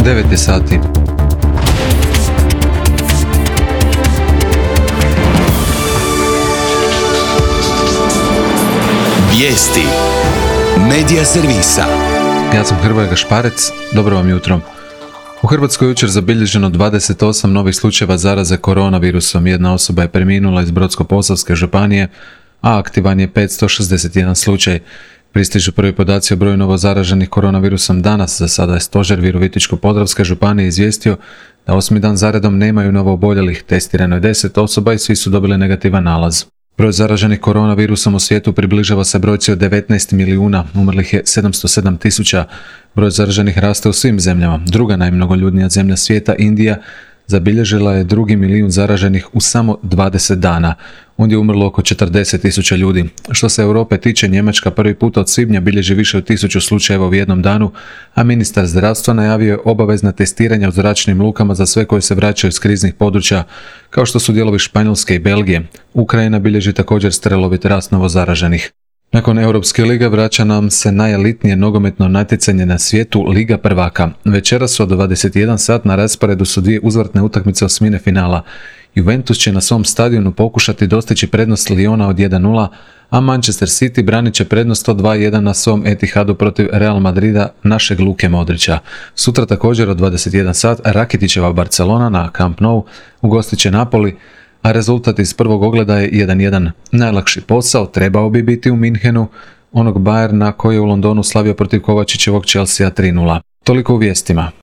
9 je sati. Vijesti Medija servisa. Ja sam Hrvoje Gašparec, dobro vam jutro. U Hrvatskoj jučer zabilježeno 28 novih slučajeva zaraze koronavirusom. Jedna osoba je preminula iz Brodsko-posavske županije, a aktivan je 561 slučaj. Pristižu prvi podaci o broju novo zaraženih koronavirusom danas. Za sada je stožer Virovitičko-podravske županije izvijestio da 8. dan zaredom nemaju novo oboljelih. Testirano je 10 osoba i svi su dobili negativan nalaz. Broj zaraženih koronavirusom u svijetu približava se brojci od 19 milijuna, umrlih je 707 tisuća. Broj zaraženih raste u svim zemljama. Druga najmnogoljudnija zemlja svijeta, Indija, zabilježila je 2 milijun zaraženih u samo 20 dana. Ondje je umrlo oko 40 tisuća ljudi. Što se Europe tiče, Njemačka prvi put od svibnja bilježi više od 1000 slučajeva u jednom danu, a ministar zdravstva najavio je obavezna testiranja u zračnim lukama za sve koji se vraćaju iz kriznih područja, kao što su dijelovi Španjolske i Belgije. Ukrajina bilježi također strelovit rast novo zaraženih. Nakon Europske lige vraća nam se najelitnije nogometno natjecanje na svijetu, Liga prvaka. Večeras od 21 sat na rasporedu su dvije uzvratne utakmice osmine finala. Juventus će na svom stadionu pokušati dostići prednost Liona od 1:0, a Manchester City branit će prednost od 2:1 na svom Etihadu protiv Real Madrida našeg Luke Modrića. Sutra također od 21 sat Rakitićeva Barcelona na Camp Nou ugostit će Napoli, a rezultat iz prvog ogleda je 1:1. Najlakši posao trebao bi biti u Minhenu, onog Bayerna koji je u Londonu slavio protiv Kovačićevog Chelsea 3:0. Toliko u vijestima.